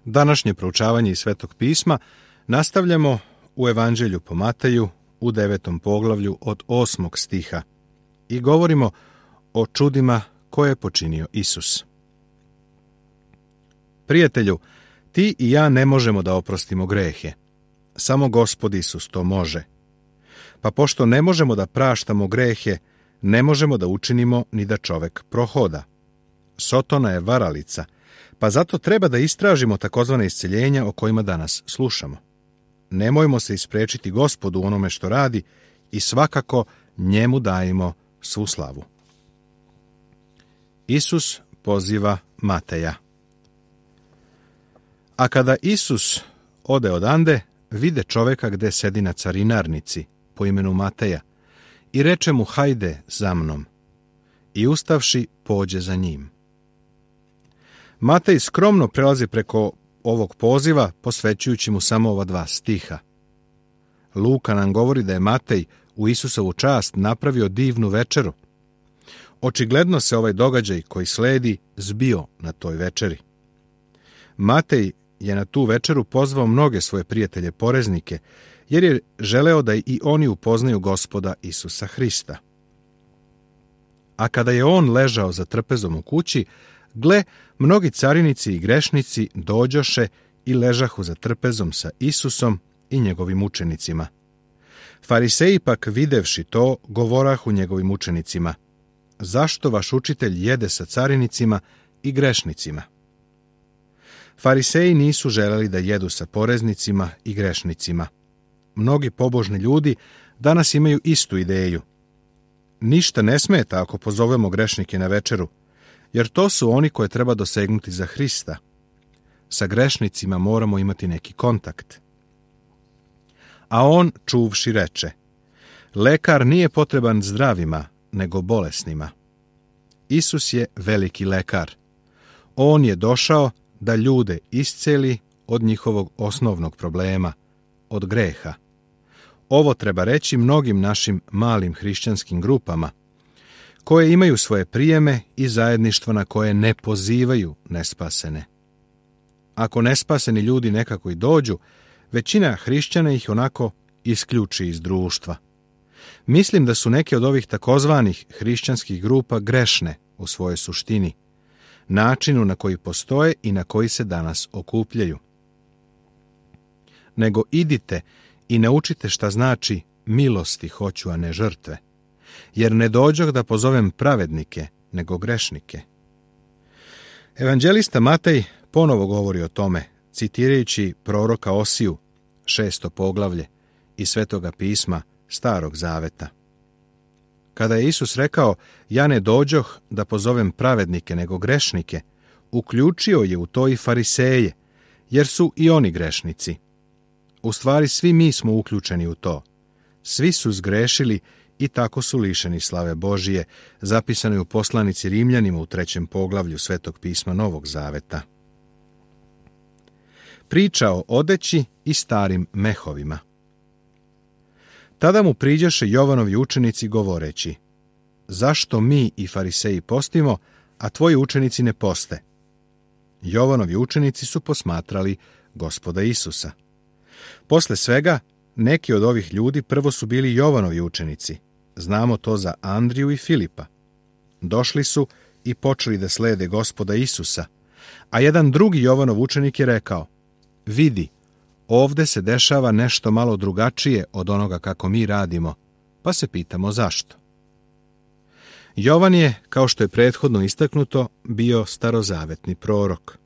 Današnje proučavanje iz Svetog pisma nastavljamo u Evanđelju po Mateju u 9. poglavlju od 8. stiha i govorimo o čudima koje je počinio Isus. Prijatelju, ti i ja ne možemo da oprostimo grehe. Samo Gospod Isus to može. Pa pošto ne možemo da praštamo grehe, ne možemo da učinimo ni da čovek prohoda. Sotona je varalica, pa zato treba da istražimo takozvane isceljenja o kojima danas slušamo. Nemojmo se isprečiti Gospodu u onome što radi i svakako njemu dajemo svu slavu. Isus poziva Mateja. A kada Isus ode odande, vide čoveka gde sedi na carinarnici, po imenu Mateja, i reče mu: hajde za mnom. I ustavši, pođe za njim. Matej skromno prelazi preko ovog poziva, posvećujući mu samo ova 2 stiha. Luka nam govori da je Matej u Isusovu čast napravio divnu večeru. Očigledno se ovaj događaj koji sledi zbio na toj večeri. Matej je na tu večeru pozvao mnoge svoje prijatelje poreznike, jer je želeo da i oni upoznaju Gospoda Isusa Hrista. A kada je on ležao za trpezom u kući, gle, mnogi carinici i grešnici dođoše i ležahu za trpezom sa Isusom i njegovim učenicima. Fariseji pak videvši to, govorahu njegovim učenicima: zašto vaš učitelj jede sa carinicima i grešnicima? Fariseji nisu želeli da jedu sa poreznicima i grešnicima. Mnogi pobožni ljudi danas imaju istu ideju. Ništa ne smeta ako pozovemo grešnike na večeru, jer to su oni koje treba dosegnuti za Hrista. Sa grešnicima moramo imati neki kontakt. A on, čuvši, reče: lekar nije potreban zdravima, nego bolesnima. Isus je veliki lekar. On je došao da ljude isceli od njihovog osnovnog problema, od greha. Ovo treba reći mnogim našim malim hrišćanskim grupama, koje imaju svoje prijeme i zajedništva na koje ne pozivaju nespasene. Ako nespaseni ljudi nekako i dođu, većina hrišćana ih onako isključi iz društva. Mislim da su neke od ovih takozvanih hrišćanskih grupa grešne u svojoj suštini, načinu na koji postoje i na koji se danas okupljaju. Nego idite i naučite šta znači milosti hoću, a ne žrtve, jer ne dođoh da pozovem pravednike, nego grešnike. Evanđelista Matej ponovo govori o tome, citirajući proroka Osiju, 6. poglavlje iz Svetoga pisma Starog zaveta. Kada je Isus rekao: ja ne dođoh da pozovem pravednike, nego grešnike, uključio je u to i fariseje, jer su i oni grešnici. U stvari svi mi smo uključeni u to. Svi su zgrešili i tako su lišeni slave Božije, zapisano je u poslanici Rimljanima u 3. poglavlju Svetog pisma Novog zaveta. Priča o odeći i starim mehovima. Tada mu priđoše Jovanovi učenici govoreći: zašto mi i fariseji postimo, a tvoji učenici ne poste? Jovanovi učenici su posmatrali Gospoda Isusa. Posle svega, neki od ovih ljudi prvo su bili Jovanovi učenici. Znamo to za Andriju i Filipa. Došli su i počeli da slede Gospoda Isusa, a jedan drugi Jovanov učenik je rekao: vidi, ovde se dešava nešto malo drugačije od onoga kako mi radimo, pa se pitamo zašto. Jovan je, kao što je prethodno istaknuto, bio starozavetni prorok.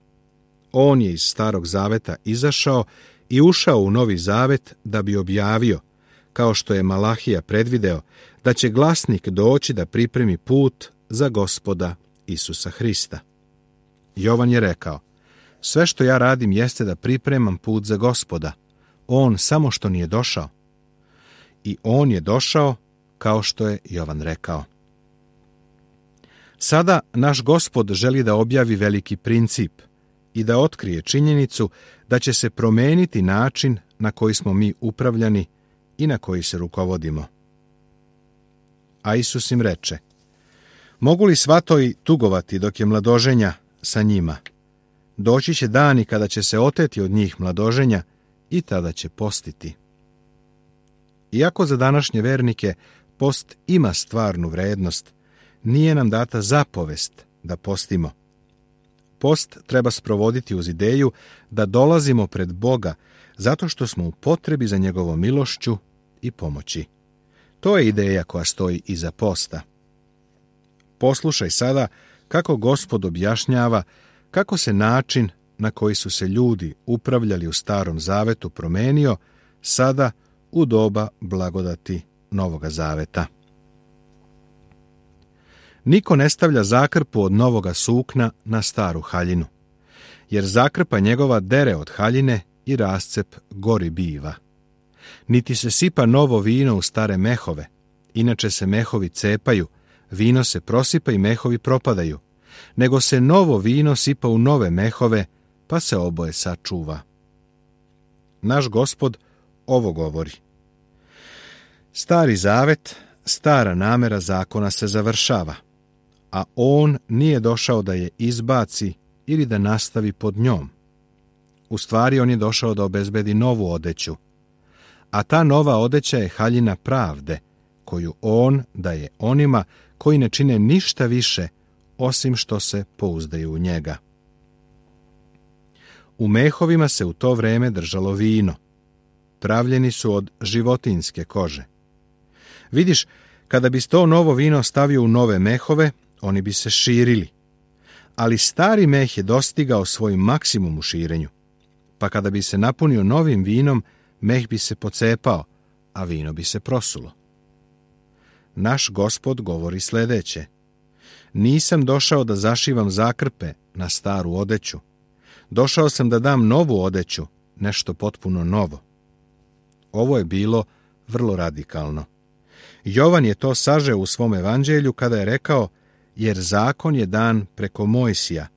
On je iz Starog zaveta izašao i ušao u Novi zavet da bi objavio, kao što je Malahija predvideo, da će glasnik doći da pripremi put za Gospoda Isusa Hrista. Jovan je rekao: sve što ja radim jeste da pripremam put za Gospoda. On samo što nije došao. I on je došao, kao što je Jovan rekao. Sada naš Gospod želi da objavi veliki princip i da otkrije činjenicu da će se promeniti način na koji smo mi upravljani i na koji se rukovodimo. A Isus im reče: mogu li svatoji tugovati dok je mladoženja sa njima? Doći će dani kada će se oteti od njih mladoženja i tada će postiti. Iako za današnje vernike post ima stvarnu vrednost, nije nam data zapovest da postimo. Post treba sprovoditi uz ideju da dolazimo pred Boga zato što smo u potrebi za njegovom milošću i pomoći. To je ideja koja stoji iza posta. Poslušaj sada kako Gospod objašnjava kako se način na koji su se ljudi upravljali u Starom Zavetu promenio sada u doba blagodati Novoga Zaveta. Niko ne stavlja zakrpu od novoga sukna na staru haljinu, jer zakrpa njegova dere od haljine i rascep gori biva. Niti se sipa novo vino u stare mehove, inače se mehovi cepaju, vino se prosipa i mehovi propadaju, nego se novo vino sipa u nove mehove, pa se oboje sačuva. Naš Gospod ovo govori. Stari zavet, stara namera zakona se završava, a on nije došao da je izbaci ili da nastavi pod njom. U stvari on je došao da obezbedi novu odeću, a ta nova odeća je haljina pravde, koju on daje onima koji ne čine ništa više osim što se pouzdaju u njega. U mehovima se u to vreme držalo vino. Pravljeni su od životinjske kože. Vidiš, kada bi to novo vino stavio u nove mehove, oni bi se širili. Ali stari meh je dostigao svoj maksimum u širenju, pa kada bi se napunio novim vinom, meh bi se pocepao, a vino bi se prosulo. Naš Gospod govori sljedeće. Nisam došao da zašivam zakrpe na staru odeću. Došao sam da dam novu odeću, nešto potpuno novo. Ovo je bilo vrlo radikalno. Jovan je to sažeo u svom evanđelju kada je rekao, jer zakon je dan preko Mojsija,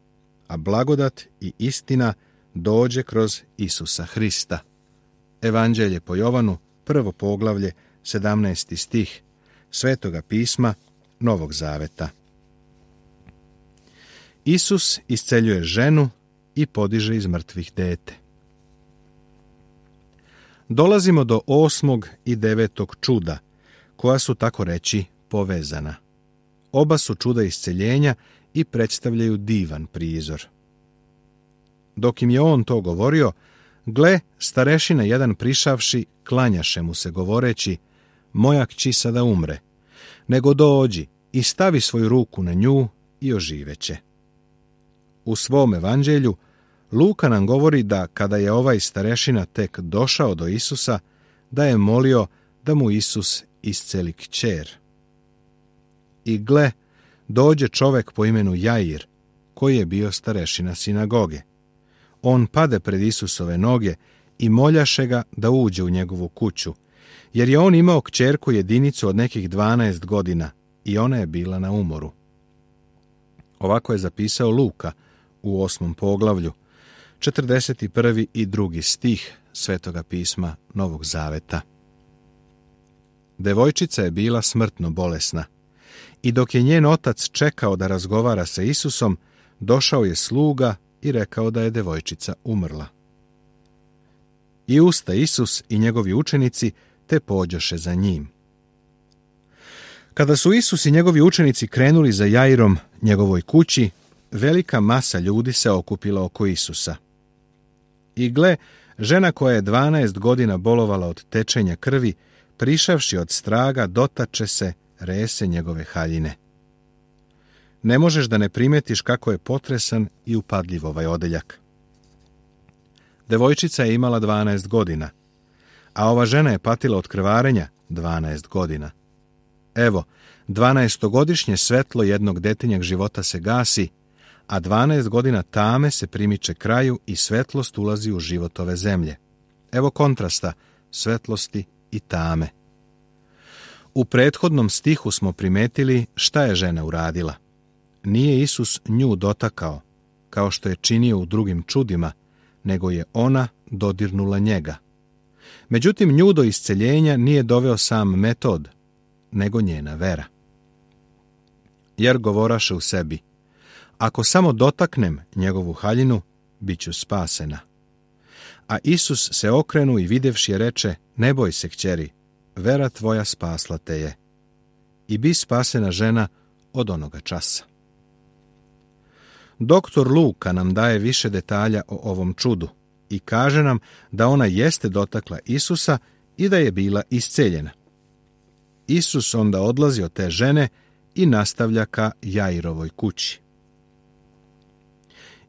a blagodat i istina dođe kroz Isusa Hrista. Evanđelje po Jovanu, 1. poglavlje, 17. stih Svetoga pisma Novog Zaveta. Isus isceljuje ženu i podiže iz mrtvih dete. Dolazimo do 8. i 9. čuda, koja su tako reći povezana. Oba su čuda isceljenja i predstavljaju divan prizor. Dok im je on to govorio, gle, starešina jedan prišavši, klanjaše mu se govoreći, moja kći sada umre, nego dođi i stavi svoju ruku na nju i oživeće. U svom evanđelju Luka nam govori da kada je ovaj starešina tek došao do Isusa, da je molio da mu Isus isceli kćer. I gle, dođe čovek po imenu Jair, koji je bio starešina sinagoge. On pade pred Isusove noge i moljaše ga da uđe u njegovu kuću, jer je on imao kćerku jedinicu od nekih 12 godina i ona je bila na umoru. Ovako je zapisao Luka u 8. poglavlju, 41. i 2. stih Svetoga pisma Novog Zaveta. Devojčica je bila smrtno bolesna i dok je njen otac čekao da razgovara sa Isusom, došao je sluga i rekao da je devojčica umrla. I usta Isus i njegovi učenici te pođoše za njim. Kada su Isus i njegovi učenici krenuli za Jairom, njegovoj kući, velika masa ljudi se okupila oko Isusa. I gle, žena koja je 12 godina bolovala od tečenja krvi, prišavši od straga, dotače se rese njegove haljine. Ne možeš da ne primetiš kako je potresan i upadljiv ovaj odeljak. Devojčica je imala 12 godina, a ova žena je patila od krvarenja 12 godina. Evo, 12-godišnje svetlo jednog detinjeg života se gasi, a 12 godina tame se primiče kraju i svetlost ulazi u život ove zemlje. Evo kontrasta svetlosti i tame. U prethodnom stihu smo primetili šta je žena uradila. Nije Isus nju dotakao, kao što je činio u drugim čudima, nego je ona dodirnula njega. Međutim, nju do isceljenja nije doveo sam metod, nego njena vera. Jer govoraše u sebi, ako samo dotaknem njegovu haljinu, bit ću spasena. A Isus se okrenu i videvši je reče, ne boj se, kćeri, vera tvoja spasla te je. I bi spasena žena od onoga časa. Doktor Luka nam daje više detalja o ovom čudu i kaže nam da ona jeste dotakla Isusa i da je bila isceljena. Isus onda odlazi od te žene i nastavlja ka Jairovoj kući.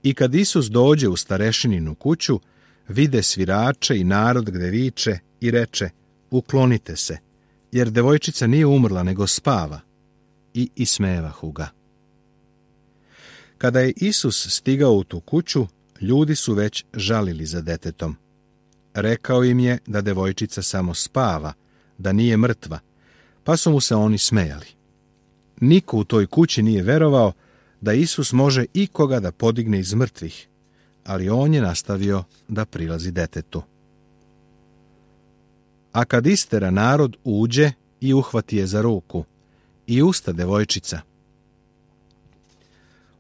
I kad Isus dođe u starešininu kuću, vide svirače i narod gde viče i reče, uklonite se, jer devojčica nije umrla nego spava, i ismevahu ga. Kada je Isus stigao u tu kuću, ljudi su već žalili za detetom. Rekao im je da devojčica samo spava, da nije mrtva, pa su mu se oni smejali. Niko u toj kući nije verovao da Isus može ikoga da podigne iz mrtvih, ali on je nastavio da prilazi detetu. A kad istera narod, uđe i uhvati je za ruku, i usta devojčica.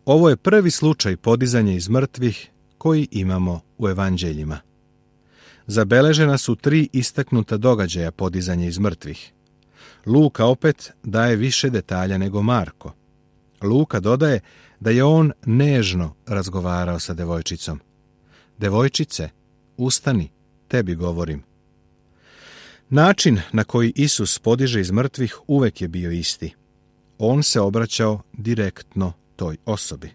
Ovo je prvi slučaj podizanja iz mrtvih koji imamo u evanđeljima. Zabeležena su 3 istaknuta događaja podizanja iz mrtvih. Luka opet daje više detalja nego Marko. Luka dodaje da je on nežno razgovarao sa devojčicom. Devojčice, ustani, tebi govorim. Način na koji Isus podiže iz mrtvih uvek je bio isti. On se obraćao direktno toj osobi.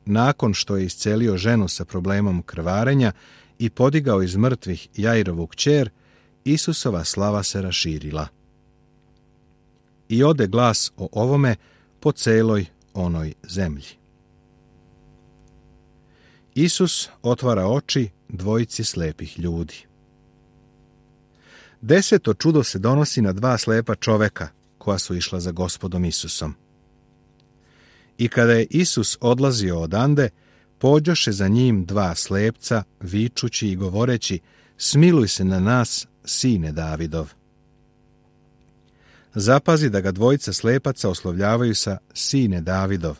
Nakon što je iscelio ženu sa problemom krvarenja i podigao iz mrtvih Jairovu kćer, Isusova slava se raširila. I ode glas o ovome po celoj onoj zemlji. Isus otvara oči dvojici slepih ljudi. 10. čudo se donosi na 2 slepa čoveka koja su išla za Gospodom Isusom. I kada je Isus odlazio odande, pođoše za njim 2 slepca, vičući i govoreći, smiluj se na nas, sine Davidov. Zapazi da ga dvojica slepaca oslovljavaju sa sine Davidov.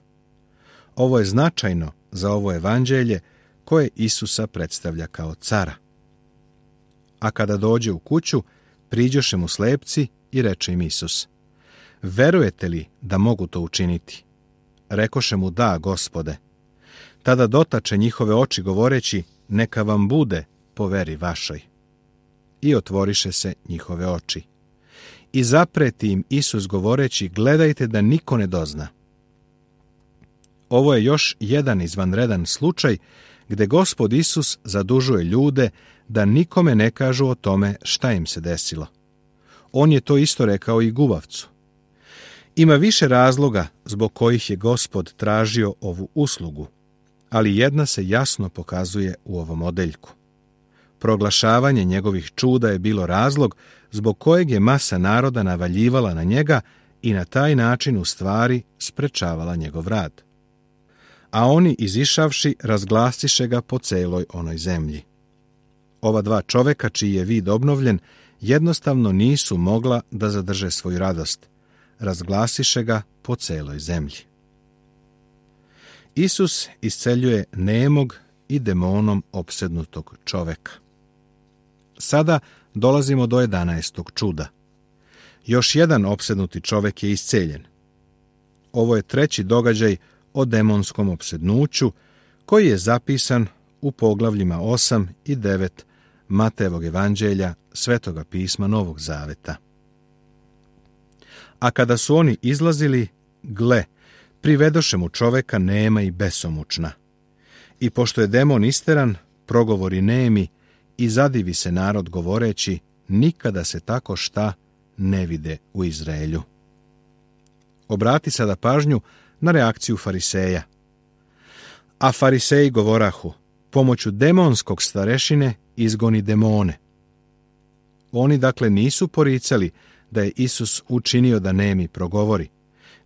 Ovo je značajno za ovo evanđelje koje Isusa predstavlja kao cara. A kada dođe u kuću, priđoše mu slepci i reče im Isus, verujete li da mogu to učiniti? Rekoše mu, da, Gospode. Tada dotače njihove oči govoreći, neka vam bude po veri vašoj. I otvoriše se njihove oči. I zapreti im Isus govoreći, gledajte da niko ne dozna. Ovo je još jedan izvanredan slučaj gde Gospod Isus zadužuje ljude da nikome ne kažu o tome šta im se desilo. On je to isto rekao i gubavcu. Ima više razloga zbog kojih je Gospod tražio ovu uslugu, ali jedna se jasno pokazuje u ovom odeljku. Proglašavanje njegovih čuda je bilo razlog zbog kojeg je masa naroda navaljivala na njega i na taj način u stvari sprečavala njegov rad. A oni, izišavši, razglasiše ga po celoj onoj zemlji. Ova 2 čoveka, čiji je vid obnovljen, jednostavno nisu mogla da zadrže svoju radost. Razglasiše ga po celoj zemlji. Isus isceljuje nemog i demonom opsednutog čoveka. Sada dolazimo do 11. čuda. Još jedan opsednuti čovek je isceljen. Ovo je 3. događaj o demonskom opsednuću, koji je zapisan u poglavljima 8 i 9 Matejevog evanđelja, Svetoga pisma Novog Zaveta. A kada su oni izlazili, gle, privedoše mu čoveka nema i besomučna. I pošto je demon isteran, progovori nemi i zadivi se narod govoreći, nikada se tako šta ne vide u Izraelju. Obrati sada pažnju na reakciju fariseja. A fariseji govorahu, pomoću demonskog starešine izgoni demone. Oni dakle nisu poricali da je Isus učinio da nemi progovori,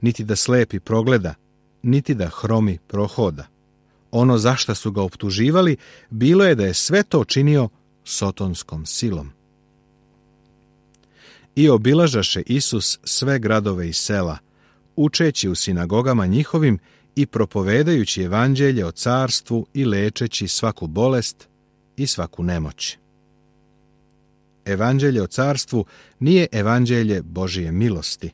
niti da slepi progleda, niti da hromi prohoda. Ono za šta su ga optuživali bilo je da je sve to činio sotonskom silom. I obilažaše Isus sve gradove i sela, učeći u sinagogama njihovim i propovedajući evanđelje o carstvu i lečeći svaku bolest i svaku nemoć. Evanđelje o carstvu nije evanđelje Božije milosti.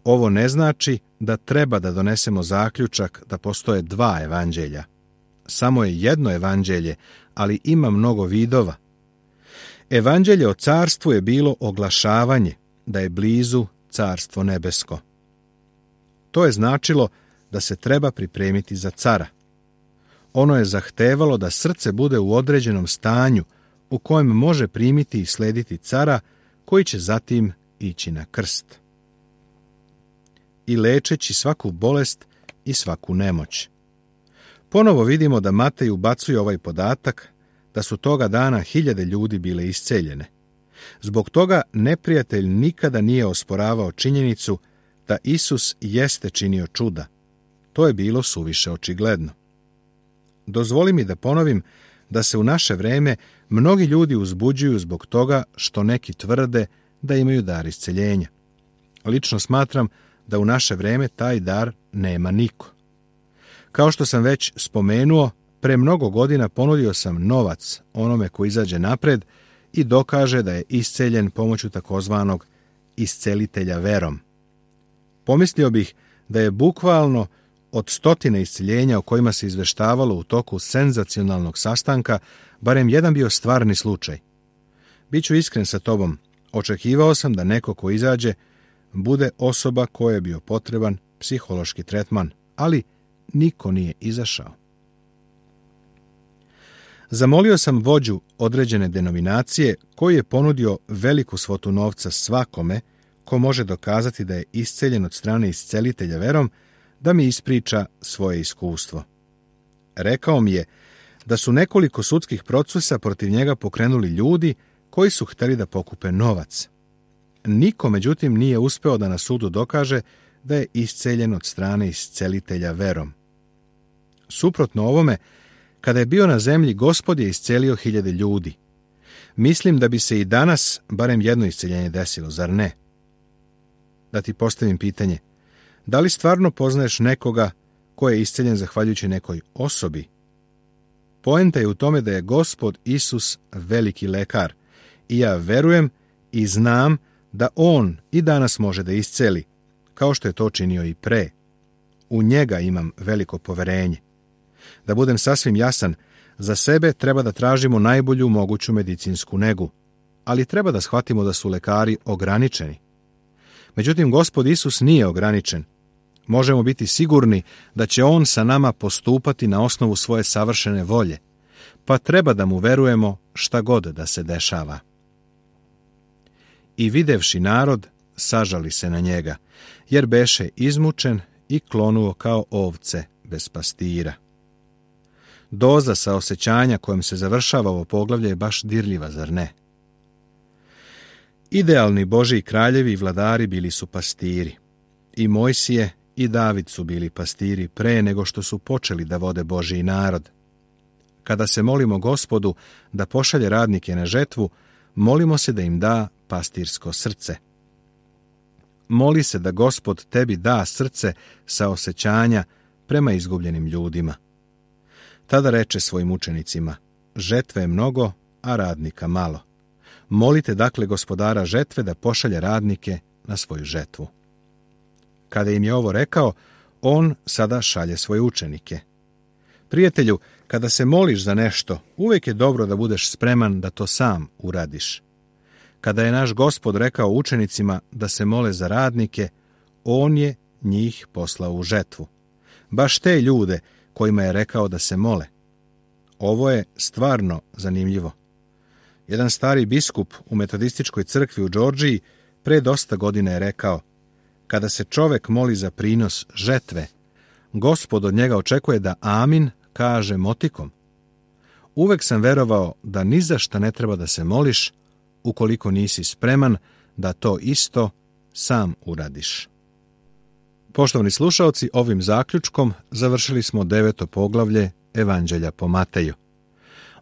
Ovo ne znači da treba da donesemo zaključak da postoje dva evanđelja. Samo je jedno evanđelje, ali ima mnogo vidova. Evanđelje o carstvu je bilo oglašavanje da je blizu carstvo nebesko. To je značilo da se treba pripremiti za cara. Ono je zahtevalo da srce bude u određenom stanju u kojem može primiti i slediti cara koji će zatim ići na krst. I lečeći svaku bolest i svaku nemoć. Ponovo vidimo da Matej ubacuje ovaj podatak da su toga dana 1000 ljudi bile isceljene. Zbog toga neprijatelj nikada nije osporavao činjenicu da Isus jeste činio čuda. To je bilo suviše očigledno. Dozvoli mi da ponovim da se u naše vreme mnogi ljudi uzbuđuju zbog toga što neki tvrde da imaju dar isceljenja. Lično smatram da u naše vreme taj dar nema niko. Kao što sam već spomenuo, pre mnogo godina ponudio sam novac onome ko izađe napred i dokaže da je isceljen pomoću takozvanog iscelitelja verom. Pomislio bih da je bukvalno od 100 isceljenja o kojima se izveštavalo u toku senzacionalnog sastanka, barem jedan bio stvarni slučaj. Biću iskren sa tobom, očekivao sam da neko ko izađe bude osoba kojoj je bio potreban psihološki tretman, ali niko nije izašao. Zamolio sam vođu određene denominacije koji je ponudio veliku svotu novca svakome ko može dokazati da je isceljen od strane iscelitelja verom, da mi ispriča svoje iskustvo. Rekao mi je da su nekoliko sudskih procesa protiv njega pokrenuli ljudi koji su hteli da pokupe novac. Niko, međutim, nije uspeo da na sudu dokaže da je isceljen od strane iscelitelja verom. Suprotno ovome, kada je bio na zemlji, Gospod je iscelio 1000 ljudi. Mislim da bi se i danas barem jedno isceljenje desilo, zar ne? Da ti postavim pitanje, da li stvarno poznaješ nekoga ko je isceljen zahvaljujući nekoj osobi? Poenta je u tome da je Gospod Isus veliki lekar i ja verujem i znam da On i danas može da isceli, kao što je to činio i pre. U njega imam veliko poverenje. Da budem sasvim jasan, za sebe treba da tražimo najbolju moguću medicinsku negu, ali treba da shvatimo da su lekari ograničeni. Međutim, Gospod Isus nije ograničen. Možemo biti sigurni da će On sa nama postupati na osnovu svoje savršene volje, pa treba da mu verujemo šta god da se dešava. I videvši narod, sažali se na njega, jer beše izmučen i klonuo kao ovce bez pastira. Doza saosećanja kojom se završava ovo poglavlje je baš dirljiva, zar ne? Idealni Božji kraljevi i vladari bili su pastiri. I Mojsije i David su bili pastiri pre nego što su počeli da vode Božji narod. Kada se molimo Gospodu da pošalje radnike na žetvu, molimo se da im da pastirsko srce. Moli se da Gospod tebi da srce saosećanja prema izgubljenim ljudima. Tada reče svojim učenicima, žetve je mnogo, a radnika malo. Molite dakle gospodara žetve da pošalje radnike na svoju žetvu. Kada im je ovo rekao, on sada šalje svoje učenike. Prijatelju, kada se moliš za nešto, uvijek je dobro da budeš spreman da to sam uradiš. Kada je naš Gospod rekao učenicima da se mole za radnike, on je njih poslao u žetvu. Baš te ljude kojima je rekao da se mole. Ovo je stvarno zanimljivo. Jedan stari biskup u metodističkoj crkvi u Džordžiji pre dosta godina je rekao, kada se čovek moli za prinos žetve, Gospod od njega očekuje da amin kaže motikom. Uvek sam verovao da ni za šta ne treba da se moliš ukoliko nisi spreman da to isto sam uradiš. Poštovani slušaoci, ovim zaključkom završili smo 9. poglavlje Evanđelja po Mateju.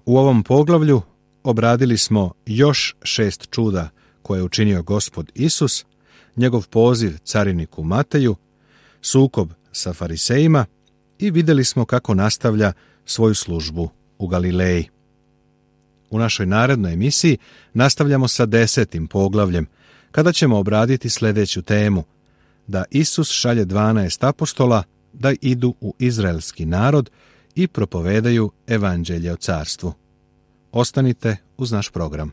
U ovom poglavlju obradili smo još 6 čuda koje je učinio Gospod Isus, njegov poziv cariniku Mateju, sukob sa farisejima i vidjeli smo kako nastavlja svoju službu u Galileji. U našoj narednoj emisiji nastavljamo sa 10. poglavljem, kada ćemo obraditi sljedeću temu, da Isus šalje 12 apostola da idu u izraelski narod i propovedaju evanđelje o carstvu. Ostanite uz naš program.